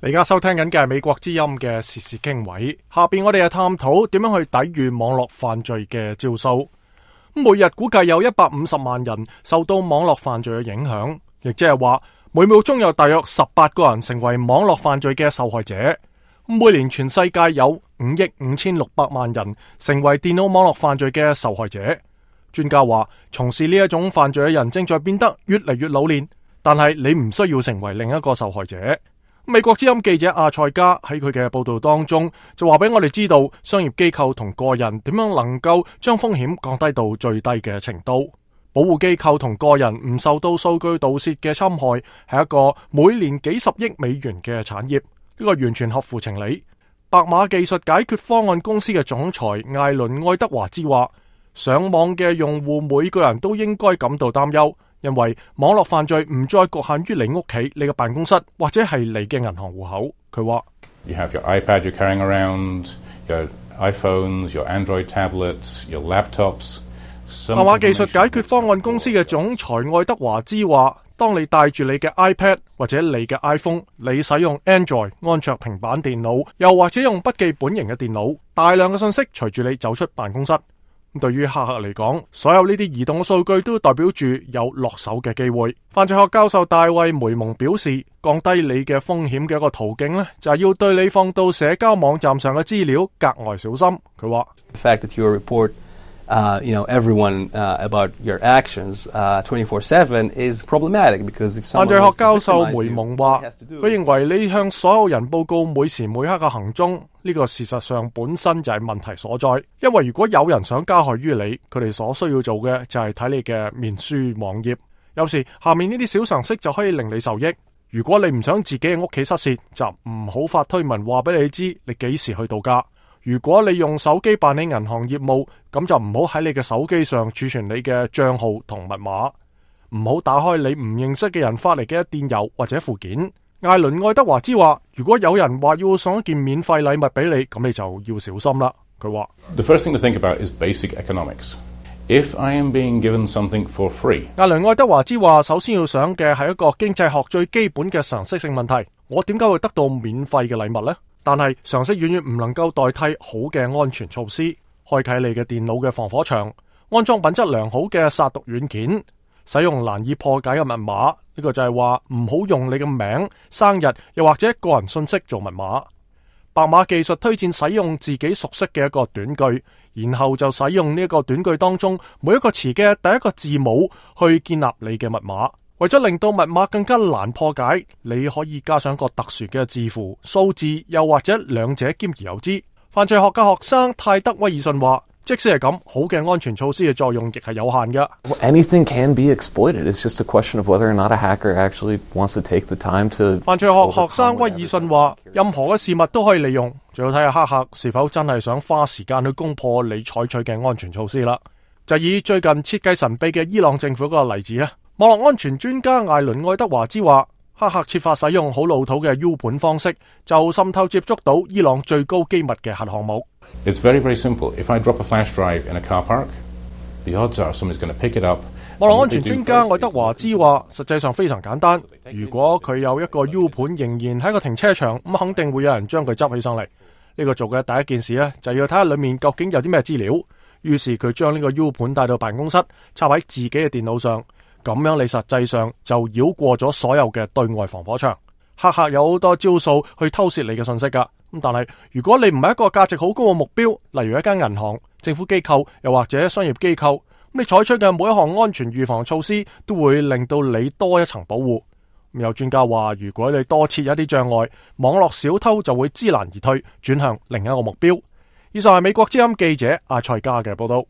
你而家收聽緊嘅係美國之音嘅時事經緯，下邊我哋係探討點樣去抵禦網絡犯罪嘅招數。每日估計有150萬人受到網絡犯罪嘅影響，亦即係話每秒鐘有大約18個人成為網絡犯罪嘅受害者。每年全世界有5億5600萬人成為電腦網絡犯罪嘅受害者。專家話，從事呢一種犯罪嘅人正在變得越嚟越老練，但係你唔需要成為另一個受害者。美國之音記者阿塞加喺佢嘅報道當中就話俾我哋知道，商業機構同個人點樣能夠將風險降低到最低嘅程度。保護機構同個人唔受到數據盜竊嘅侵害，係一個每年幾十億美元嘅產業，呢個完全合乎情理。白馬技術解決方案公司嘅總裁艾倫愛德華茲話，上網嘅用戶每個人都應該感到擔憂，因為網絡犯罪唔再局限於你屋企、你嘅辦公室或者係你嘅銀行戶口。佢話 You have your iPad you're carrying around, your iPhones, your Android tablets, your laptops. 白馬技術解決方案公司嘅總裁愛德華茲話，當你帶住你嘅 iPad 或者你嘅 iPhone， 你使用 Android 安卓平板電腦，又或者用筆記本型嘅電腦，大量嘅信息隨住你走出辦公室。對於黑客嚟講，所有呢啲移動嘅數據都代表住有落手嘅機會。犯罪學教授大衛梅蒙表示，降低你嘅風險嘅一個途徑呢，就係要對你放到社交網站上嘅資料格外小心。佢話 The fact that you report everyone about your actions 24/7 is problematic because if 犯罪學教授梅蒙話，佢認為你向所有人報告每時每刻嘅行蹤，呢個事實上本身就係問題所在。因為如果有人想加害於你，佢哋所需要做嘅就係睇你嘅面書網頁。有時下面呢啲小常識就可以令你受益。如果你唔想自己嘅屋企失竊，就唔好發推文話俾你知你幾時去度假。如果你用手機辦理銀行業務，咁就唔好喺你嘅手機上儲存你嘅賬號同密碼，唔好打開你唔認識嘅人發嚟嘅電郵或者附件。艾倫愛德華茲話，如果有人話要送一件免費禮物俾你，咁你就要小心啦。佢話 The first thing to think about is basic economics. If I am being given something for free， 艾倫愛德華茲話，首先要想嘅係一個經濟學最基本嘅常識性問題，我點解會得到免費嘅禮物呢？但係常識遠遠唔能夠代替好嘅安全措施。開啟你嘅電腦嘅防火牆，安裝品質良好嘅殺毒軟件，使用難以破解嘅密碼。呢個就係話唔好用你嘅名、生日又或者個人信息做密碼。白馬技術推薦使用自己熟悉嘅一個短句，然後就使用呢一個短句當中每一個詞嘅第一個字母去建立你嘅密碼。為咗令到密碼更加難破解，你可以加上個特殊嘅字符、數字，又或者兩者兼而有之。犯罪學嘅學生泰德威爾遜話，即使係咁，好嘅安全措施嘅作用亦係有限嘅。Anything can be exploited. It's just a question of whether or not a hacker actually wants to take the time to。犯罪學學生威爾遜話，任何嘅事物都可以利用，最好睇下黑客是否真係想花時間去攻破你採取嘅安全措施啦。就以最近設計神秘嘅伊朗政府嗰個例子咧。網絡安全專家艾倫愛德華茲話，黑客設法使用好老土嘅 U 盤方式，就滲透接觸到伊朗最高機密嘅核項目。It's very, very simple. If I drop a flash drive in a car park, the odds are someone's going to pick it up. 網絡安全專家愛德華茲話，實際上非常簡單。如果佢有一個 U 盤仍然喺個停車場，咁肯定會有人將佢執起上嚟。呢個做嘅第一件事呢，就要睇下裏面究竟有啲咩資料。於是佢將呢個 U 盤帶到辦公室，插喺自己嘅電腦上。咁樣你實際上就繞過咗所有嘅對外防火牆。黑客有好多招數去偷竊你嘅信息噶，咁但係如果你唔係一個價值好高嘅目標，例如一間銀行、政府機構又或者商業機構，咁你採取嘅每一項安全預防措施都會令到你多一層保護。有專家話，如果你多設一啲障礙，網絡小偷就會知難而退，轉向另一個目標。以上係美國之音記者阿塞加嘅報道。